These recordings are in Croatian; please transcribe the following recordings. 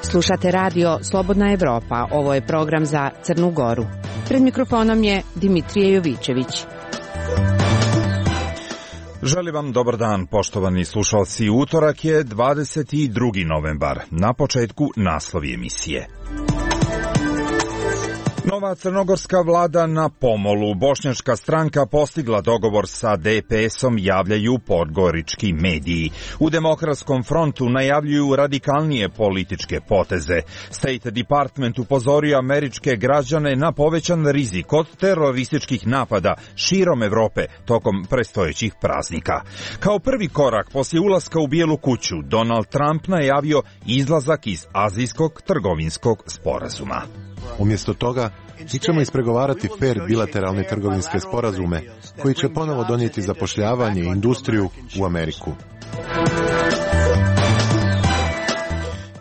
Slušate radio Slobodna Evropa. Ovo je program za Crnu Goru. Pred mikrofonom je Dimitrije Jovićević. Želim vam dobar dan, poštovani slušalci. Utorak je 22. novembar. Na početku naslovi emisije. Nova crnogorska vlada na pomolu. Bošnjačka stranka postigla dogovor sa DPS-om, javljaju podgorički mediji. U Demokratskom frontu najavljuju radikalnije političke poteze. State Department upozorio američke građane na povećan rizik od terorističkih napada širom Evrope tokom predstojećih praznika. Kao prvi korak poslije ulaska u Bijelu kuću, Donald Trump najavio izlazak iz azijskog trgovinskog sporazuma. Umjesto toga, mi ćemo ispregovarati fer bilateralne trgovinske sporazume koji će ponovo donijeti zapošljavanje i industriju u Ameriku.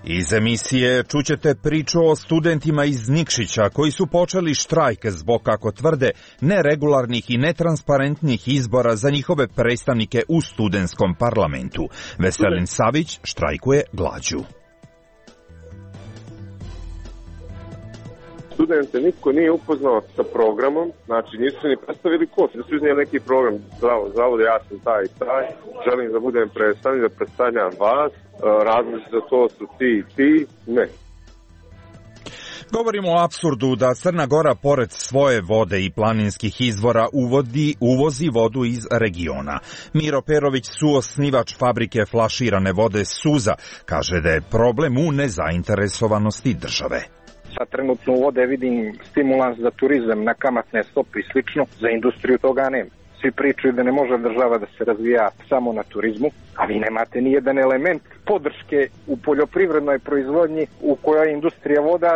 Iz emisije čućete priču o studentima iz Nikšića koji su počeli štrajk zbog, kako tvrde, neregularnih i netransparentnih izbora za njihove predstavnike u studentskom parlamentu. Veselin Savić štrajkuje glađu. Studente niko nije upoznao sa programom, znači nisu ni predstavili ko, da su iznijeli neki program, zavod, ja sam taj i taj, želim da budem predstavnik, da predstavljam vas, različi za to su ti, ne. Govorimo o apsurdu da Crna Gora pored svoje vode i planinskih izvora uvozi vodu iz regiona. Miro Perović, suosnivač fabrike flaširane vode Suza, kaže da je problem u nezainteresovanosti države. Sad trenutno u vode vidim stimulans za turizam na kamatne stope i slično, za industriju toga nema. Svi pričaju da ne može država da se razvija samo na turizmu, a vi nemate ni jedan element podrške u poljoprivrednoj proizvodnji u kojoj je industrija voda.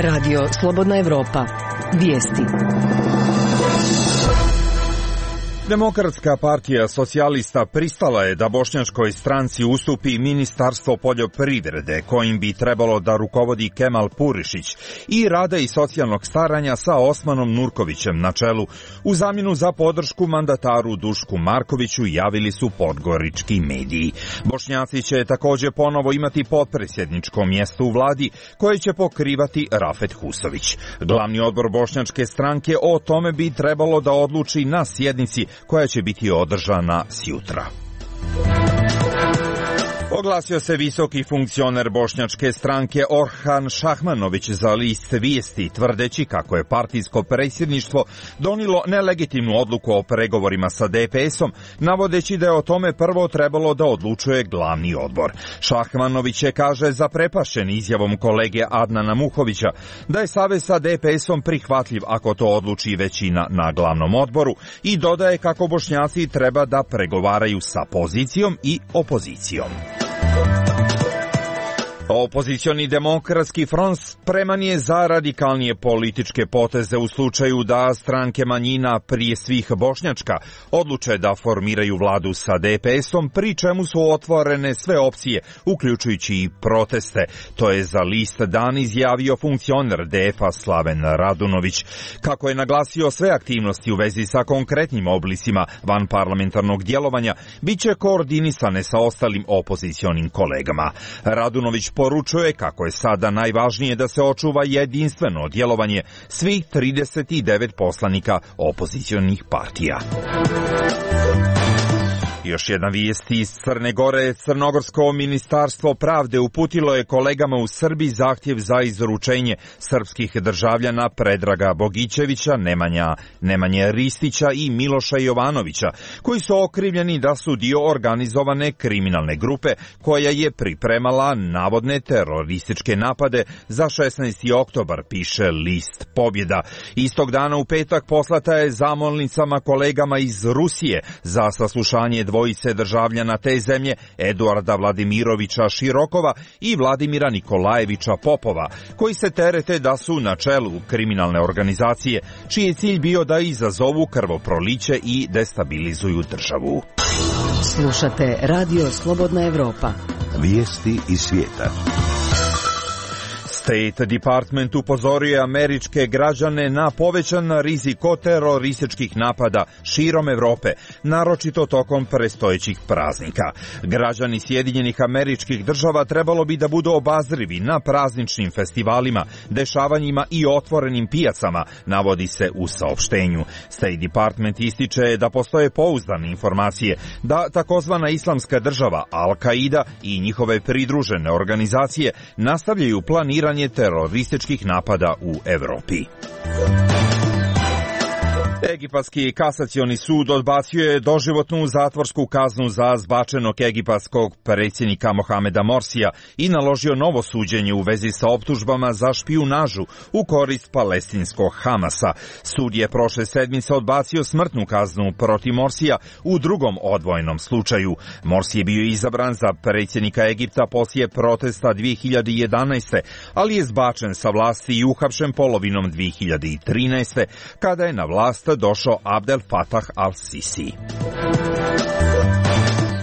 Radio Slobodna Evropa. Vijesti. Demokratska partija socijalista pristala je da bošnjačkoj stranci ustupi Ministarstvo poljoprivrede, kojim bi trebalo da rukovodi Kemal Purišić, i rada i socijalnog staranja sa Osmanom Nurkovićem na čelu. U zamjenu za podršku mandataru Dušku Markoviću javili su podgorički mediji. Bošnjaci će također ponovo imati potpredsjedničko mjesto u vladi, koje će pokrivati Rafet Husović. Glavni odbor bošnjačke stranke o tome bi trebalo da odluči na sjednici koja će biti održana sjutra. Oglasio se visoki funkcioner bošnjačke stranke Orhan Šahmanović za list Vijesti, tvrdeći kako je partijsko predsjedništvo donijelo nelegitimnu odluku o pregovorima sa DPS-om, navodeći da je o tome prvo trebalo da odlučuje glavni odbor. Šahmanović je, kaže, zaprepašćen izjavom kolege Adnana Muhovića da je savez sa DPS-om prihvatljiv ako to odluči većina na glavnom odboru, i dodaje kako Bošnjaci treba da pregovaraju sa pozicijom i opozicijom. Opozicioni Demokratski front spreman je za radikalnije političke poteze u slučaju da stranke manjina, prije svih bošnjačka, odluče da formiraju vladu sa DPS-om, pri čemu su otvorene sve opcije, uključujući i proteste. To je za list Dan izjavio funkcioner DF-a Slaven Radunović. Kako je naglasio, sve aktivnosti u vezi sa konkretnim oblicima vanparlamentarnog djelovanja bit će koordinisane sa ostalim opozicionim kolegama. Radunović poručuje kako je sada najvažnije da se očuva jedinstveno djelovanje svih 39 poslanika opozicionih partija. Još jedna vijest iz Crne Gore. Crnogorsko ministarstvo pravde uputilo je kolegama u Srbiji zahtjev za izručenje srpskih državljana Predraga Bogićevića, Nemanje Ristića i Miloša Jovanovića, koji su okrivljeni da su dio organizovane kriminalne grupe koja je pripremala navodne terorističke napade za 16. oktobar, piše list Pobjeda. Istog dana u petak poslata je zamolnicama kolegama iz Rusije za saslušanje dvojice državljana te zemlje, Eduarda Vladimirovića Širokova i Vladimira Nikolajevića Popova, koji se terete da su na čelu kriminalne organizacije, čiji je cilj bio da izazovu krvoproliće i destabilizuju državu. Slušate Radio Slobodna Evropa. Vijesti iz svijeta. State Department upozorio je američke građane na povećan rizik od terorističkih napada širom Evrope, naročito tokom predstojećih praznika. Građani Sjedinjenih Američkih Država trebalo bi da budu obazrivi na prazničnim festivalima, dešavanjima i otvorenim pijacama, navodi se u saopštenju. State Department ističe da postoje pouzdane informacije da takozvana Islamska država, Al-Qaida i njihove pridružene organizacije nastavljaju planiranje terorističkih napada u Evropi. Egipatski kasacioni sud odbacio je doživotnu zatvorsku kaznu za zbačenog egipatskog predsjednika Mohameda Morsija i naložio novo suđenje u vezi sa optužbama za špijunažu u korist palestinskog Hamasa. Sud je prošle sedmice odbacio smrtnu kaznu protiv Morsija u drugom odvojenom slučaju. Morsi je bio izabran za predsjednika Egipta poslije protesta 2011. ali je zbačen sa vlasti i uhapšen polovinom 2013. kada je na vlast došao Abdel Fattah al-Sisi.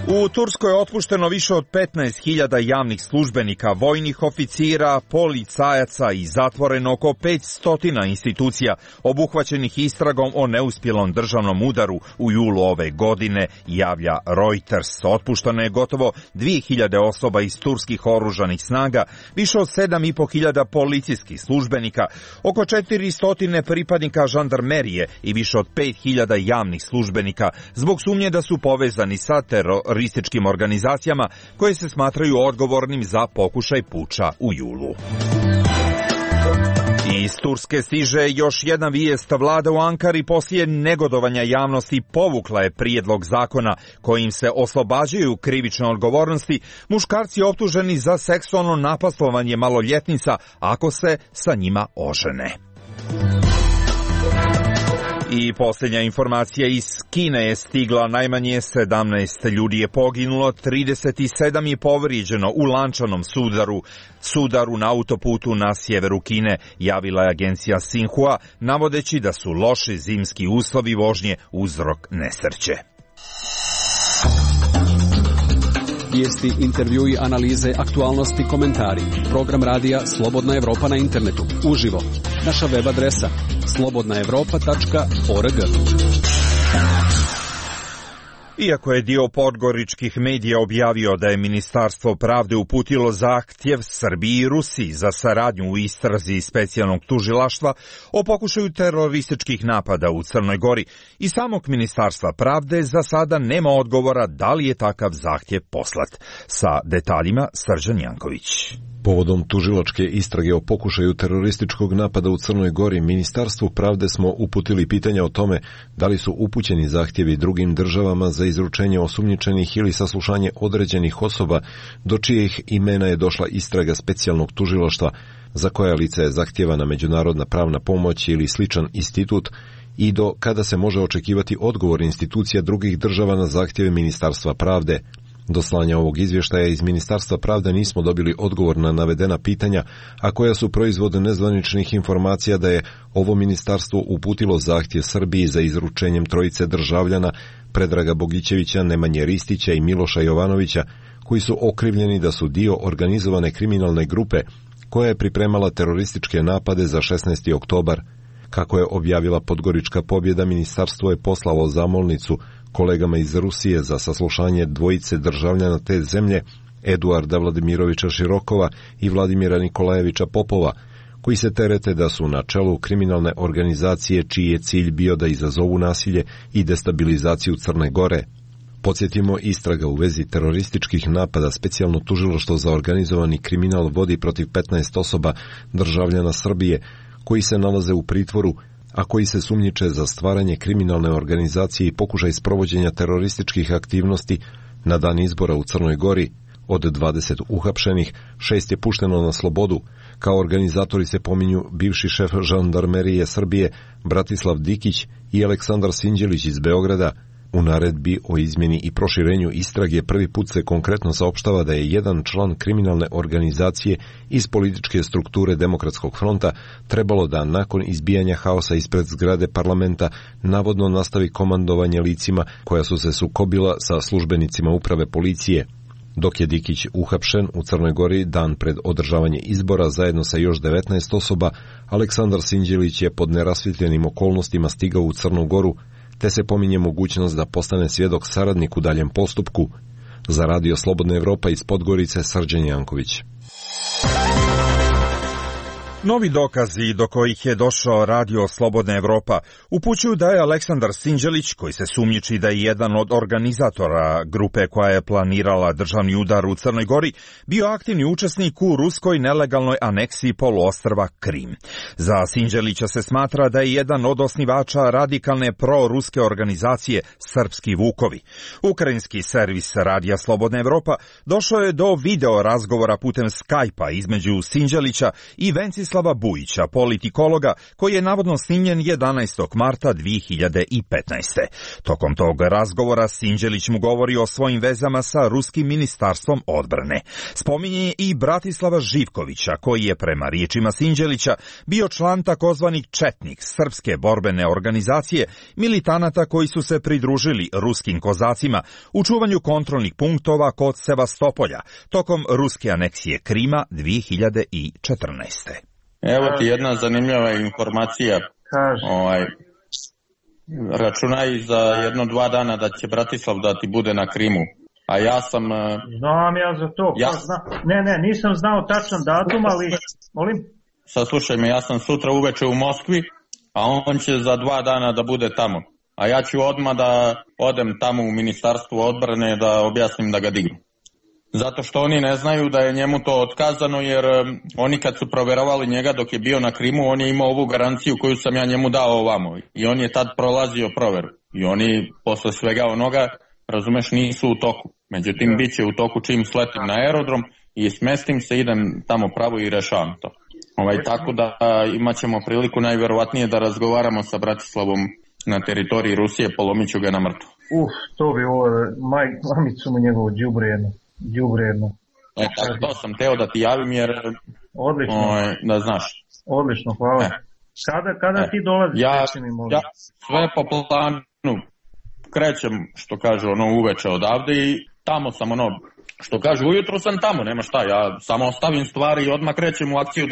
U Turskoj je otpušteno više od 15.000 javnih službenika, vojnih oficira, policajaca i zatvoreno oko 500 institucija obuhvaćenih istragom o neuspjelom državnom udaru u julu ove godine, javlja Reuters. Otpušteno je gotovo 2.000 osoba iz turskih oružanih snaga, više od 7.500 policijskih službenika, oko 400 pripadnika žandarmerije i više od 5.000 javnih službenika zbog sumnje da su povezani sa terorističkim organizacijama koje se smatraju odgovornim za pokušaj puča u julu. Iz Turske stiže još jedna vijest. Vlada u Ankari poslije negodovanja javnosti povukla je prijedlog zakona kojim se oslobađaju krivične odgovornosti muškarci optuženi za seksualno napastovanje maloljetnica ako se sa njima ožene. I posljednja informacija iz Kine je stigla, najmanje 17 ljudi je poginulo, 37 je povrijeđeno u lančanom sudaru na autoputu na sjeveru Kine, javila je agencija Xinhua, navodeći da su loši zimski uslovi vožnje uzrok nesreće. Vijesti, intervjui, analize, aktualnosti, komentari. Program radija Slobodna Evropa na internetu. Uživo. Naša web adresa slobodnaevropa.org. Iako je dio podgoričkih medija objavio da je Ministarstvo pravde uputilo zahtjev Srbiji i Rusiji za saradnju u istrazi specijalnog tužilaštva o pokušaju terorističkih napada u Crnoj Gori, i samog Ministarstva pravde za sada nema odgovora da li je takav zahtjev poslat. Sa detaljima Srđan Janković. Povodom tužilačke istrage o pokušaju terorističkog napada u Crnoj Gori, Ministarstvu pravde smo uputili pitanja o tome da li su upućeni zahtjevi drugim državama za izručenje osumnjičenih ili saslušanje određenih osoba do čijih imena je došla istraga specijalnog tužilaštva, za koja lica je zahtjevana međunarodna pravna pomoć ili sličan institut, i do kada se može očekivati odgovor institucija drugih država na zahtjeve Ministarstva pravde. Do slanja ovog izvještaja iz Ministarstva pravde nismo dobili odgovor na navedena pitanja, a koja su proizvod nezvaničnih informacija da je ovo ministarstvo uputilo zahtjev Srbiji za izručenjem trojice državljana Predraga Bogićevića, Nemanje Ristića i Miloša Jovanovića, koji su okrivljeni da su dio organizovane kriminalne grupe koja je pripremala terorističke napade za 16. oktobar. Kako je objavila Podgorička pobjeda, ministarstvo je poslalo zamolnicu kolegama iz Rusije za saslušanje dvojice državljana te zemlje, Eduarda Vladimirovića Širokova i Vladimira Nikolajevića Popova, koji se terete da su na čelu kriminalne organizacije čiji je cilj bio da izazovu nasilje i destabilizaciju Crne Gore. Podsjetimo, istraga u vezi terorističkih napada specijalno tužilaštvo za organizovani kriminal vodi protiv 15 osoba državljana Srbije koji se nalaze u pritvoru, a koji se sumnjiče za stvaranje kriminalne organizacije i pokušaj sprovođenja terorističkih aktivnosti. Na dan izbora u Crnoj Gori od 20 uhapšenih, 6 je pušteno na slobodu. Kao organizatori se pominju bivši šef žandarmerije Srbije Bratislav Dikić i Aleksandar Sinđelić iz Beograda. U naredbi o izmjeni i proširenju istrage prvi put se konkretno saopštava da je jedan član kriminalne organizacije iz političke strukture Demokratskog fronta trebalo da nakon izbijanja haosa ispred zgrade parlamenta navodno nastavi komandovanje licima koja su se sukobila sa službenicima uprave policije. Dok je Dikić uhapšen u Crnoj Gori dan pred održavanje izbora zajedno sa još 19 osoba, Aleksandar Sinđelić je pod nerasvjetljenim okolnostima stigao u Crnu Goru, te se pominje mogućnost da postane svjedok saradnik u daljem postupku. Za Radio Slobodna Evropa iz Podgorice, Srđan Janković. Novi dokazi do kojih je došao Radio Slobodna Evropa upućuju da je Aleksandar Sinđelić, koji se sumnjiči da je jedan od organizatora grupe koja je planirala državni udar u Crnoj Gori, bio aktivni učesnik u ruskoj nelegalnoj aneksiji poluostrva Krim. Za Sinđelića se smatra da je jedan od osnivača radikalne proruske organizacije Srpski Vukovi. Ukrajinski servis Radija Slobodna Evropa došao je do video razgovora putem Skype-a između Sinđelića i Vencislava Bujića, politikologa, koji je navodno snimljen 11. marta 2015. Tokom tog razgovora Sinđelić mu govori o svojim vezama sa ruskim ministarstvom odbrane. Spominje i Bratislava Živkovića, koji je prema riječima Sinđelića bio član takozvanih Četnik, srpske borbene organizacije, militanata koji su se pridružili ruskim kozacima u čuvanju kontrolnih punktova kod Sevastopolja tokom ruske aneksije Krima 2014. Evo ti jedna zanimljiva informacija. Računaj za 1-2 dana da će Bratislav da ti bude na Krimu. A ja sam... Znam ja za to. Nisam znao tačan datum, ali... Molim? Saslušaj me, ja sam sutra uveče u Moskvi, a on će za 2 dana da bude tamo. A ja ću odmah da odem tamo u Ministarstvo odbrane da objasnim da ga dignu. Zato što oni ne znaju da je njemu to otkazano, jer oni kad su proverovali njega dok je bio na Krimu, on je imao ovu garanciju koju sam ja njemu dao ovamo. I on je tad prolazio proveru. I oni posle svega onoga, razumeš, nisu u toku. Međutim, bit će u toku čim sletim na aerodrom i smestim se, idem tamo pravo i rešavam to. Tako da imat ćemo priliku najverovatnije da razgovaramo sa Bratislavom na teritoriji Rusije, polomit ću ga na mrtvo. To bi ovo, mamicu mu njegovu đubredno. To sam teo da ti javim jer da znaš. Odlično, hvala. Kada ti dolaziš? Ja sve po planu krećem, što kaže, uveče odavde i tamo sam što kaže, ujutro sam tamo, nema šta, ja samo ostavim stvari i odmah krećem u akciju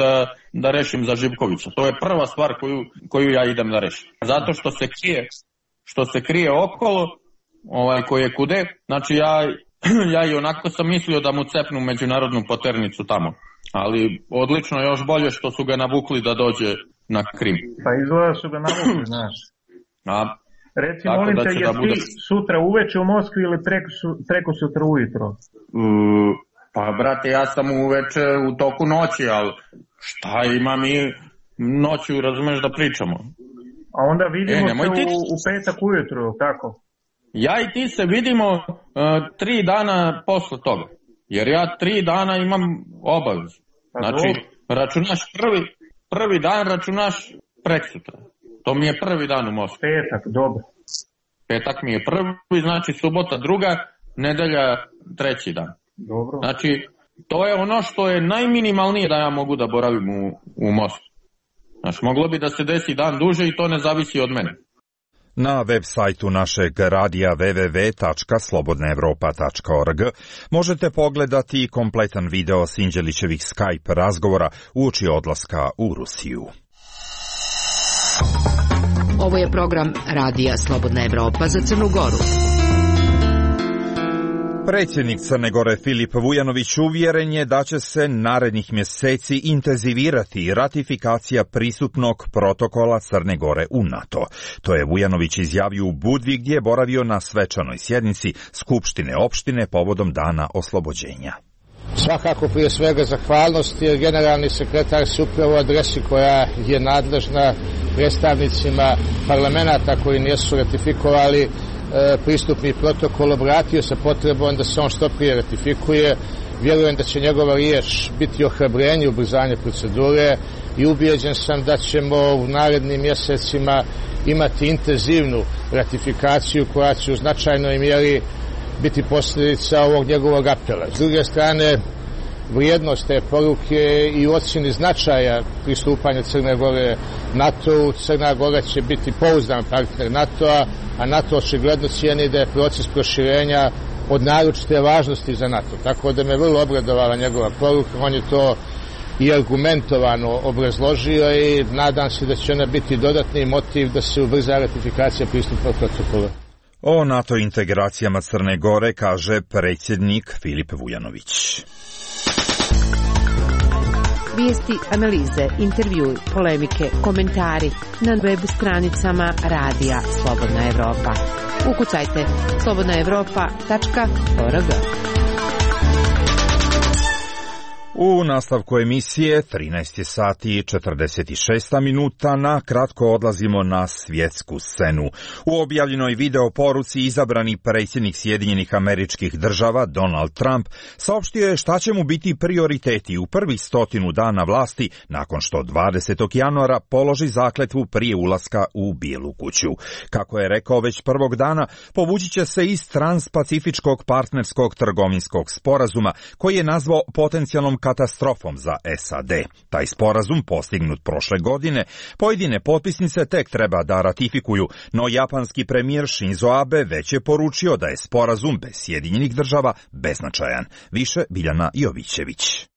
da rešim za Živkovića. To je prva stvar koju ja idem da rešim. Zato što se krije okolo, koji je kude, znači ja i onako sam mislio da mu cepnu međunarodnu poternicu tamo. Ali odlično, još bolje što su ga navukli da dođe na Krim. Pa izgleda su ga navukli, znaš. Reci, molim te, je ti sutra uveče u Moskvi ili preko sutra ujutro? Pa, brate, ja sam uveče u toku noći, ali šta imam i noću, razumeš, da pričamo. A onda vidimo se u petak ujutro, tako? Ja i ti se vidimo 3 dana posle toga, jer ja 3 dana imam obavezu. Znači, računaš prvi dan, računaš preksutra. To mi je prvi dan u Moskvi. Petak, dobro. Petak mi je prvi, znači subota druga, nedelja treći dan. Dobro. Znači, to je ono što je najminimalnije da ja mogu da boravim u Moskvi. Znači, moglo bi da se desi dan duže i to ne zavisi od mene. Na web sajtu našeg radija www.slobodnaevropa.org možete pogledati kompletan video Sinđelićevih Skype razgovora uoči odlaska u Rusiju. Ovo je program Radija Slobodna Evropa za Crnu Goru. Predsjednik Crne Gore Filip Vujanović uvjeren je da će se narednih mjeseci intenzivirati ratifikacija pristupnog protokola Crne Gore u NATO. To je Vujanović izjavio u Budvi gdje je boravio na svečanoj sjednici Skupštine opštine povodom Dana oslobođenja. Svakako prije svega zahvalnost jer generalni sekretar se upravo adresi koja je nadležna predstavnicima parlamenta koji nisu ratifikovali pristupni protokol obratio sa potrebom da se on što prije ratifikuje. Vjerujem da će njegova riječ biti ohrabrenje, ubrzanje procedure i ubijeđen sam da ćemo u narednim mjesecima imati intenzivnu ratifikaciju koja će u značajnoj mjeri biti posljedica ovog njegovog apela. S druge strane, vrijednost te poruke i ocjeni značaja pristupanja Crne Gore NATO-u. Crna Gora će biti pouzdan partner NATO-a, a NATO očigledno cijeni da je proces proširenja od naročite važnosti za NATO. Tako da me vrlo obradovala njegova poruka, on je to i argumentovano obrazložio i nadam se da će ona biti dodatni motiv da se ubrza ratifikacija pristupnog protokola. O NATO integracijama Crne Gore kaže predsjednik Filip Vujanović. Vijesti, analize, intervjui, polemike, komentari na web stranicama Radija Slobodna Evropa. Ukucajte slobodnaevropa.org. U nastavku emisije 13 sati i 46 minuta na kratko odlazimo na svjetsku scenu. U objavljenoj video poruci izabrani predsjednik Sjedinjenih Američkih Država Donald Trump saopštio je šta će mu biti prioriteti u prvih 100 dana vlasti nakon što 20. januara položi zakletvu prije ulaska u Bijelu kuću. Kako je rekao već prvog dana, povući će se iz transpacifičkog partnerskog trgovinskog sporazuma koji je nazvao potencijalnom katastrofom za SAD. Taj sporazum, postignut prošle godine, pojedine potpisnice tek treba da ratifikuju, no japanski premijer Shinzo Abe već je poručio da je sporazum bez Sjedinjenih Država beznačajan. Više Biljana Jovićević.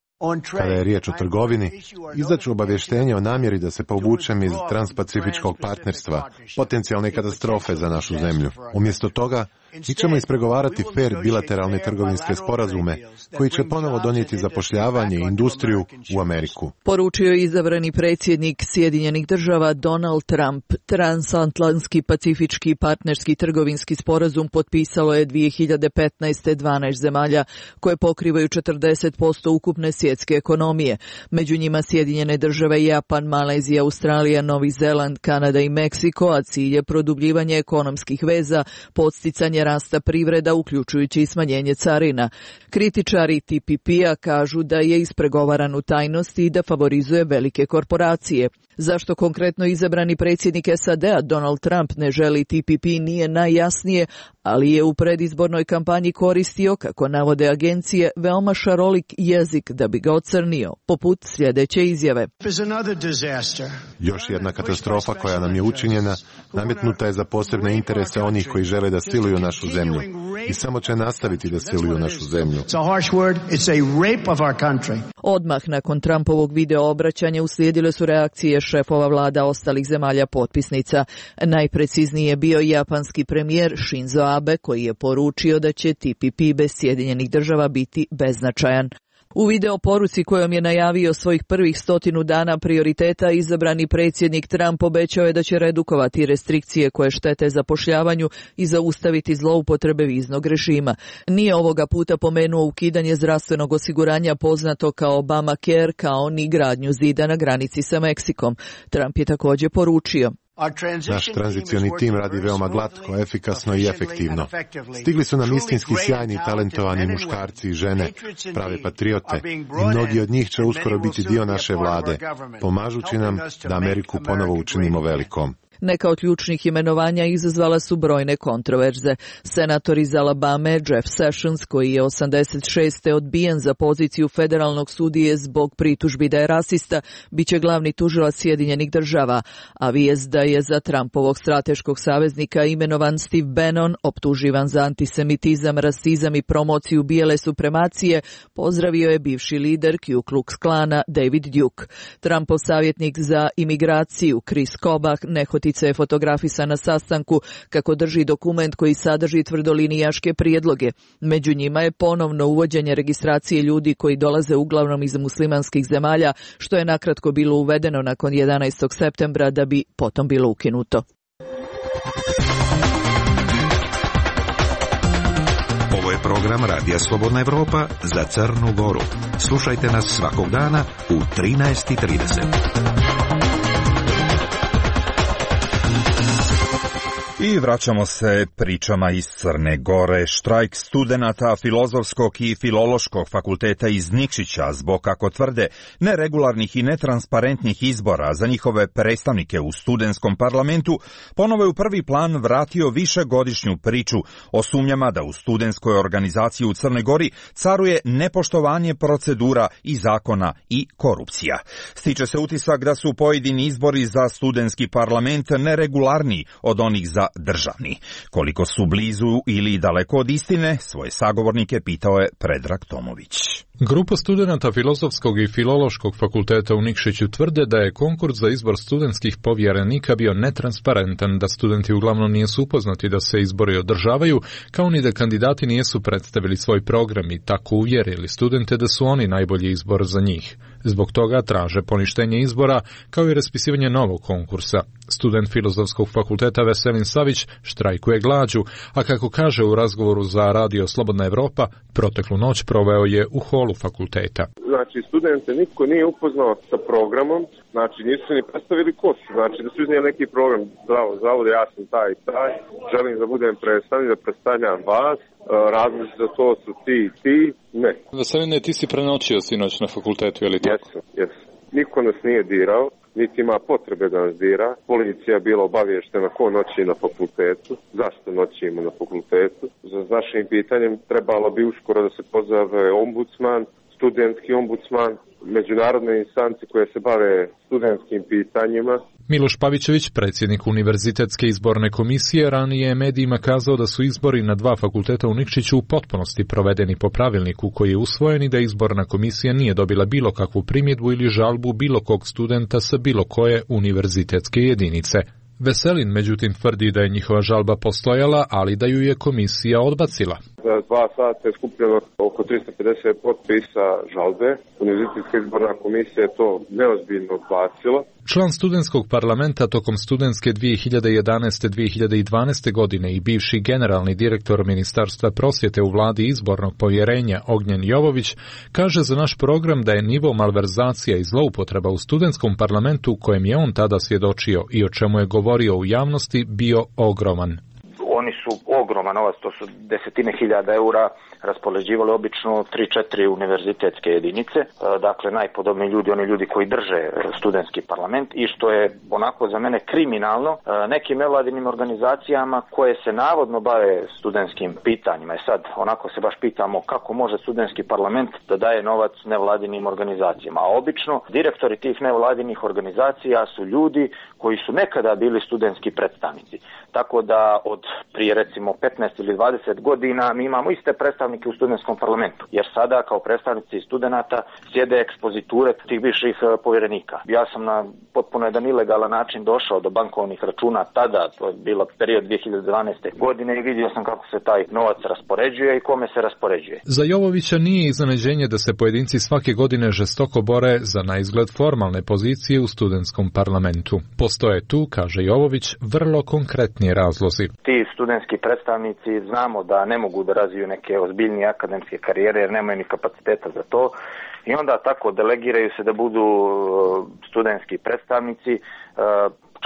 Kada je riječ o trgovini, izdaću obavještenje o namjeri da se povučem iz transpacifičkog partnerstva, potencijalne katastrofe za našu zemlju. Umjesto toga, mi ćemo ispregovarati fer bilateralne trgovinske sporazume koji će ponovo donijeti zapošljavanje i industriju u Ameriku. Poručio je izabrani predsjednik Sjedinjenih Država Donald Trump. Transatlantski pacifički partnerski trgovinski sporazum potpisalo je 2015. 12 zemalja koje pokrivaju 40% ukupne svjetske ekonomije. Među njima Sjedinjene Države, Japan, Malezija, Australija, Novi Zeland, Kanada i Meksiko, a cilj je produbljivanje ekonomskih veza, podsticanje rasta privreda, uključujući i smanjenje carina. Kritičari TPP-a kažu da je ispregovaran u tajnosti i da favorizuje velike korporacije. Zašto konkretno izabrani predsjednik SAD-a Donald Trump ne želi TPP nije najjasnije, ali je u predizbornoj kampanji koristio, kako navode agencije, veoma šarolik jezik da bi ga ocrnio, poput sljedeće izjave. Još jedna katastrofa koja nam je učinjena, nametnuta je za posebne interese onih koji žele da siluju našu zemlju i samo će nastaviti da siluju našu zemlju. Odmah nakon Trumpovog video obraćanja uslijedile su reakcije šefova vlada ostalih zemalja potpisnica. Najprecizniji je bio japanski premijer Shinzo Abe koji je poručio da će TPP bez Sjedinjenih Država biti beznačajan. U video poruci kojom je najavio svojih prvih 100 dana prioriteta, izabrani predsjednik Trump obećao je da će redukovati restrikcije koje štete zapošljavanju i zaustaviti zloupotrebe viznog režima. Nije ovoga puta pomenuo ukidanje zdravstvenog osiguranja poznato kao Obamacare, kao ni gradnju zida na granici sa Meksikom. Trump je također poručio: naš tranzicioni tim radi veoma glatko, efikasno i efektivno. Stigli su nam istinski sjajni i talentovani muškarci i žene, prave patriote, i mnogi od njih će uskoro biti dio naše vlade, pomažući nam da Ameriku ponovo učinimo velikom. Neka od ključnih imenovanja izazvala su brojne kontroverze. Senator iz Alabame Jeff Sessions, koji je 86. odbijen za poziciju federalnog sudije zbog pritužbi da je rasista, bit će glavni tužilac Sjedinjenih Država, a vijest da je za Trumpovog strateškog saveznika imenovan Steve Bannon, optuživan za antisemitizam, rasizam i promociju bijele supremacije, pozdravio je bivši lider Ku Klux Klana David Duke. Trumpov savjetnik za imigraciju Chris Kobach nehotice je fotografisan na sastanku kako drži dokument koji sadrži tvrdolinijaške prijedloge. Među njima je ponovno uvođenje registracije ljudi koji dolaze uglavnom iz muslimanskih zemalja, što je nakratko bilo uvedeno nakon 11. septembra da bi potom bilo ukinuto. Ovo je program Radija Slobodna Evropa za Crnu Goru. Slušajte nas svakog dana u 13:30. I vraćamo se pričama iz Crne Gore. Štrajk studenata Filozofskog i Filološkog fakulteta iz Nikšića zbog, kako tvrde, neregularnih i netransparentnih izbora za njihove predstavnike u studentskom parlamentu ponovo je u prvi plan vratio višegodišnju priču o sumnjama da u studentskoj organizaciji u Crnoj Gori caruje nepoštovanje procedura i zakona i korupcija. Stiče se utisak da su pojedini izbori za studentski parlament neregularniji od onih za državni. Koliko su blizu ili daleko od istine, svoje sagovornike pitao je Predrag Tomović. Grupa studenata Filozofskog i Filološkog fakulteta u Nikšiću tvrde da je konkurs za izbor studentskih povjerenika bio netransparentan, da studenti uglavnom nisu upoznati da se izbori održavaju, kao ni da kandidati nisu predstavili svoj program i tako uvjerili studente da su oni najbolji izbor za njih. Zbog toga traže poništenje izbora, kao i raspisivanje novog konkursa. Student Filozofskog fakulteta Veselin Savić štrajkuje glađu, a kako kaže u razgovoru za Radio Slobodna Evropa, proteklu noć proveo je u holu fakulteta. Znači, studente niko nije upoznao sa programom, znači nisu ni predstavili ko su, znači da su iznijeli neki program, zavode, ja sam taj i taj, želim da budem predstavnik, da predstavljam vas, razlozi za to su ti, ne. Veseline, ti si prenoćio sinoć na fakultetu, je li tako? Jesam. Niko nas nije dirao, niti ima potrebe da nas dira. Policija je bila obavještena ko noći na fakultetu, zašto noćimo na fakultetu. Za našim pitanjem trebalo bi uskoro da se pozove ombudsman, studentski ombudsman, međunarodne instance koje se bave studentskim pitanjima. Miloš Pavićević, predsjednik Univerzitetske izborne komisije, ranije je medijima kazao da su izbori na 2 fakulteta u Nikšiću u potpunosti provedeni po pravilniku koji je usvojen i da izborna komisija nije dobila bilo kakvu primjedbu ili žalbu bilo kog studenta sa bilo koje univerzitetske jedinice. Veselin, međutim, tvrdi da je njihova žalba postojala, ali da ju je komisija odbacila. Za 2 sata je skupljeno oko 350 potpisa žalbe. Univerzitetska izborna komisija je to neozbiljno odbacila. Član studentskog parlamenta tokom studentske 2011-2012. godine i bivši generalni direktor Ministarstva prosvjete u vladi izbornog povjerenja Ognjen Jovović kaže za naš program da je nivo malverzacija i zloupotreba u studentskom parlamentu kojem je on tada svjedočio i o čemu je govorio u javnosti bio ogroman. Oni su ogroman novac, to su desetine hiljada eura raspoređivali obično 3-4 univerzitetske jedinice, dakle najpodobniji ljudi, oni ljudi koji drže studentski parlament i što je onako za mene kriminalno nekim nevladinim organizacijama koje se navodno bave studentskim pitanjima. I sad onako se baš pitamo kako može studentski parlament da daje novac nevladinim organizacijama, a obično direktori tih nevladinih organizacija su ljudi koji su nekada bili studentski predstavnici. Tako da od prije recimo 15 ili 20 godina mi imamo iste predstavnike u studentskom parlamentu, jer sada kao predstavnici studenata sjede ekspoziture tih bivših povjerenika. Ja sam na potpuno jedan ilegalan način došao do bankovnih računa tada, to je bilo period 2012. godine i vidio sam kako se taj novac raspoređuje i kome se raspoređuje. Za Jovovića nije iznenađenje da se pojedinci svake godine žestoko bore za naizgled formalne pozicije u studentskom parlamentu. Postoje tu, kaže Jovović, vrlo konkretni razlozi. Ti studentski predstavnici znamo da ne mogu da razviju neke ozbiljnije akademske karijere jer nemaju ni kapaciteta za to i onda tako delegiraju se da budu studentski predstavnici.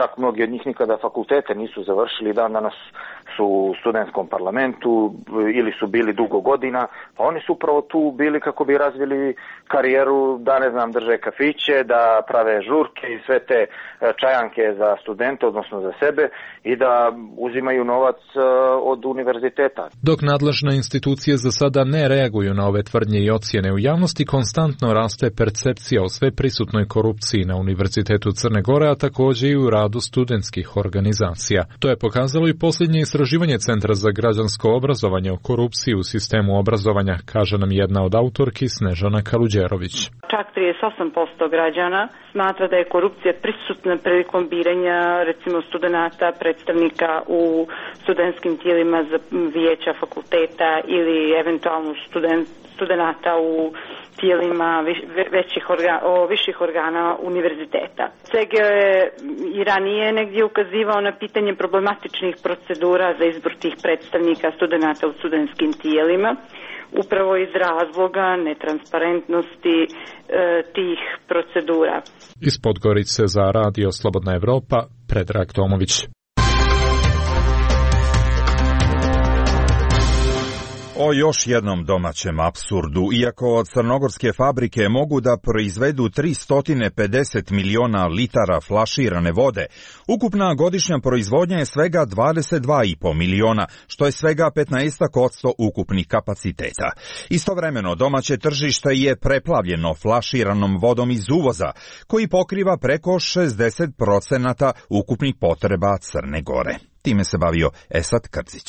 Čak mnogi od njih nikada fakultete nisu završili, dan danas su u studentskom parlamentu ili su bili dugo godina, pa oni su upravo tu bili kako bi razvili karijeru, da ne znam, drže kafiće, da prave žurke i sve te čajanke za studente, odnosno za sebe i da uzimaju novac od univerziteta. Dok nadležne institucije za sada ne reaguju na ove tvrdnje i ocjene u javnosti, konstantno raste percepcija o sve prisutnoj korupciji na Univerzitetu Crne Gore, a također i u radu studentskih organizacija. To je pokazalo i posljednje istraživanje Centra za građansko obrazovanje o korupciji u sistemu obrazovanja, kaže nam jedna od autorki Snežana Kaluđerović. Čak 38% građana smatra da je korupcija prisutna prilikom biranja recimo studenata, predstavnika u studentskim tijelima za vijeća fakulteta ili eventualno studenata u tijelima viših organa univerziteta. CGO je i ranije negdje ukazivao na pitanje problematičnih procedura za izbor tih predstavnika studenata u studentskim tijelima, upravo iz razloga netransparentnosti tih procedura. Iz Podgorice za Radio Slobodna Evropa, Predrag Tomović. O još jednom domaćem apsurdu, iako crnogorske fabrike mogu da proizvedu 350 miliona litara flaširane vode, ukupna godišnja proizvodnja je svega 22,5 miliona, što je svega 15% ukupnih kapaciteta. Istovremeno, domaće tržište je preplavljeno flaširanom vodom iz uvoza, koji pokriva preko 60% ukupnih potreba Crne Gore. time se bavio Esad Krcić.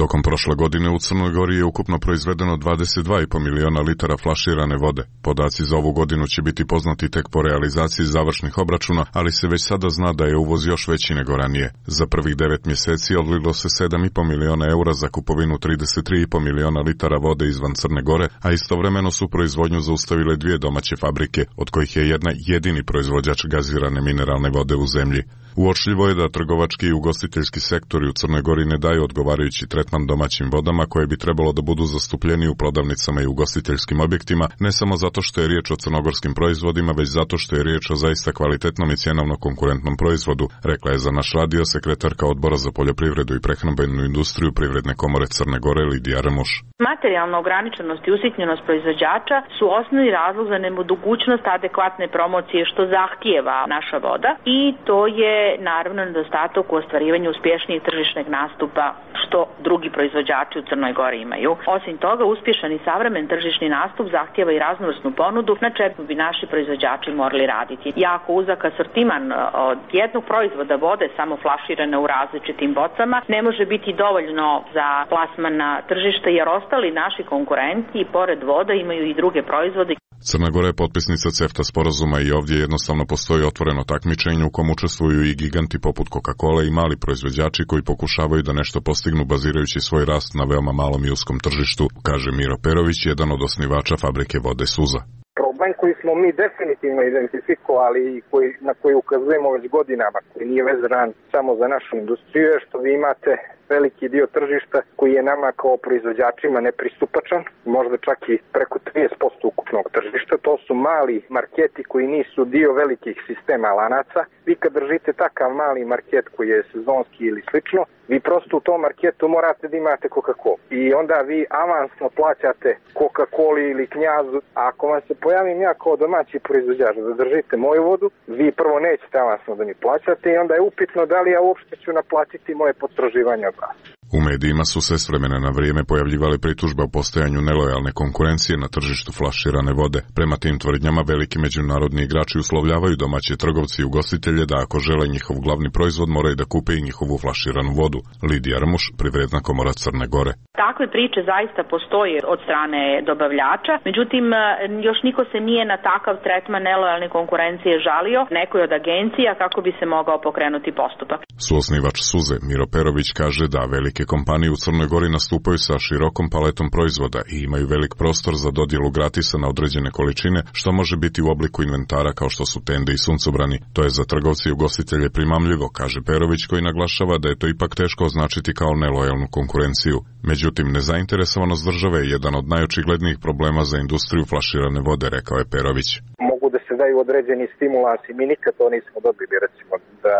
Tokom prošle godine u Crnoj Gori je ukupno proizvedeno 22,5 miliona litara flaširane vode. Podaci za ovu godinu će biti poznati tek po realizaciji završnih obračuna, ali se već sada zna da je uvoz još veći nego ranije. Za prvih 9 mjeseci odlilo se 7,5 miliona eura za kupovinu 33,5 miliona litara vode izvan Crne Gore, a istovremeno su proizvodnju zaustavile 2 domaće fabrike, od kojih je jedna jedini proizvođač gazirane mineralne vode u zemlji. Uočljivo je da trgovački i ugostiteljski sektori u Crnoj Gori ne daju odgovarajući tretman domaćim vodama koje bi trebalo da budu zastupljeni u prodavnicama i ugostiteljskim objektima, ne samo zato što je riječ o crnogorskim proizvodima, već zato što je riječ o zaista kvalitetnom i cjenovno konkurentnom proizvodu, rekla je za naš radio sekretarka Odbora za poljoprivredu i prehrambenu industriju Privredne komore Crne Gore Lidija Rmuš. Materijalna ograničenost i usitnjenost proizvođača su osnovni razlog za nemogućnost adekvatne promocije što zahtijeva naša voda i to je naravno nedostatak u ostvarivanju uspješnijeg tržišnog nastupa što drugi proizvođači u Crnoj Gori imaju. Osim toga, uspješan i savremen tržišni nastup zahtijeva i raznovrsnu ponudu na čemu bi naši proizvođači morali raditi. Jako uzak asortiman od jednog proizvoda vode samo flaširane u različitim bocama ne može biti dovoljno za plasman na tržište jer ostali naši konkurenti i pored voda imaju i druge proizvode. Crna Gora je potpisnica CEFTA sporazuma i ovdje jednostavno postoji otvoreno takmičenje u kom učestvuju i giganti poput Coca-Cola i mali proizvođači koji pokušavaju da nešto postignu bazirajući svoj rast na veoma malom i uskom tržištu, kaže Miro Perović, jedan od osnivača fabrike vode Suza. Problem koji smo mi definitivno identifikovali i na koji ukazujemo već godinama, koji nije vezan samo za našu industriju, je što vi imate veliki dio tržišta koji je nama kao proizvođačima nepristupačan, možda čak i preko 30% ukupnog tržišta. To su mali marketi koji nisu dio velikih sistema lanaca. Vi kad držite takav mali market koji je sezonski ili slično, vi prosto u tom marketu morate da imate Coca-Cola. I onda vi avansno plaćate Coca-Coli ili Knjazu. A ako vam se pojavim ja kao domaći proizvođač da držite moju vodu, vi prvo nećete avansno da mi plaćate i onda je upitno da li ja uopšte ću naplatiti moje potraživanje od vas. U medijima su se s vremena na vrijeme pojavljivale pritužbe o postojanju nelojalne konkurencije na tržištu flaširane vode. Prema tim tvrdnjama veliki međunarodni igrači uslovljavaju domaće trgovci i ugostitelje da ako žele njihov glavni proizvod moraju da kupe i njihovu flaširanu vodu. Lidija Rmuš, Privredna komora Crne Gore. Takve priče zaista postoje od strane dobavljača, međutim još niko se nije na takav tretman nelojalne konkurencije žalio nekoj od agencija kako bi se mogao pokrenuti postupak. Suosnivač Suze Miro Perović kaže da velike kompanije u Crnoj Gori nastupaju sa širokom paletom proizvoda i imaju velik prostor za dodjelu gratisa na određene količine, što može biti u obliku inventara kao što su tende i suncobrani. To je za trgovce i ugostitelje primamljivo, kaže Perović, koji naglašava da je to ipak teško označiti kao nelojalnu konkurenciju. Međutim, nezainteresovanost države je jedan od najočiglednijih problema za industriju flaširane vode, rekao je Perović. Mogu da se daju određeni stimulansi, mi nikad to nismo dobili, recimo da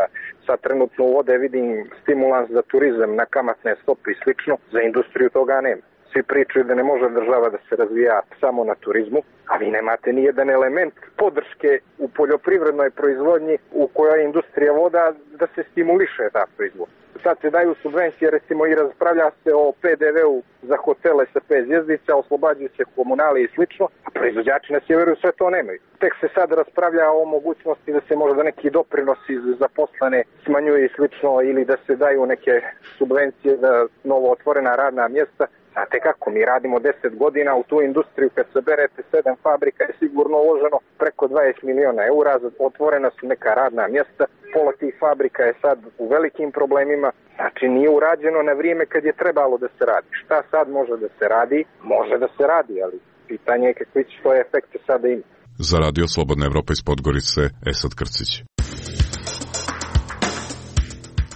sad trenutno u vode vidim stimulans za turizam na kamatne stope i slično, za industriju toga nema. Svi pričaju da ne može država da se razvija samo na turizmu, a vi nemate ni jedan element podrške u poljoprivrednoj proizvodnji u kojoj je industrija voda da se stimuliše ta proizvodnja. Sad se daju subvencije, recimo i raspravlja se o PDV-u za hotele sa 5 zvjezdica, oslobađaju se komunali i slično, a proizvođači na sjeveru sve to nemaju. Tek se sad raspravlja o mogućnosti da se možda neki doprinosi za zaposlene smanjuju i slično ili da se daju neke subvencije za novo otvorena radna mjesta. Znate kako, mi radimo 10 godina u tu industriju, kad saberete 7 fabrika je sigurno uloženo preko 20 miliona eura, otvorena su neka radna mjesta, pola tih fabrika je sad u velikim problemima, znači nije urađeno na vrijeme kad je trebalo da se radi. Šta sad može da se radi? Može da se radi, ali pitanje je kakvi će to efekte sada imati. Za radio Slobodna Evropa iz Podgorice, Esad Krcić.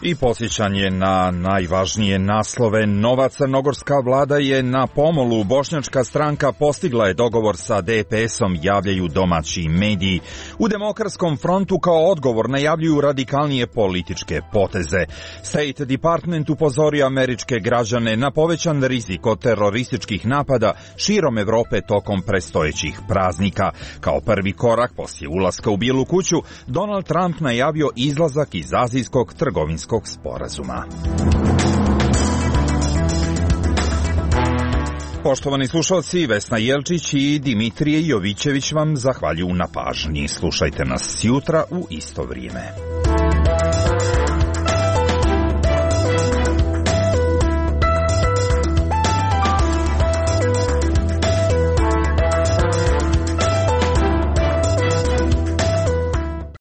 I podsjećanje na najvažnije naslove. Nova crnogorska vlada je na pomolu. Bošnjačka stranka postigla je dogovor sa DPS-om, javljaju domaći mediji. U Demokratskom frontu kao odgovor najavljuju radikalnije političke poteze. State Department upozorio američke građane na povećan rizik od terorističkih napada širom Evrope tokom predstojećih praznika. Kao prvi korak poslije ulaska u Bijelu kuću, Donald Trump najavio izlazak iz azijskog trgovinskog sporazuma. Poštovani slušalci, Vesna Jelčić i Dimitrije Jovićević vam zahvaljuju na pažnji. Slušajte nas jutra u isto vrijeme.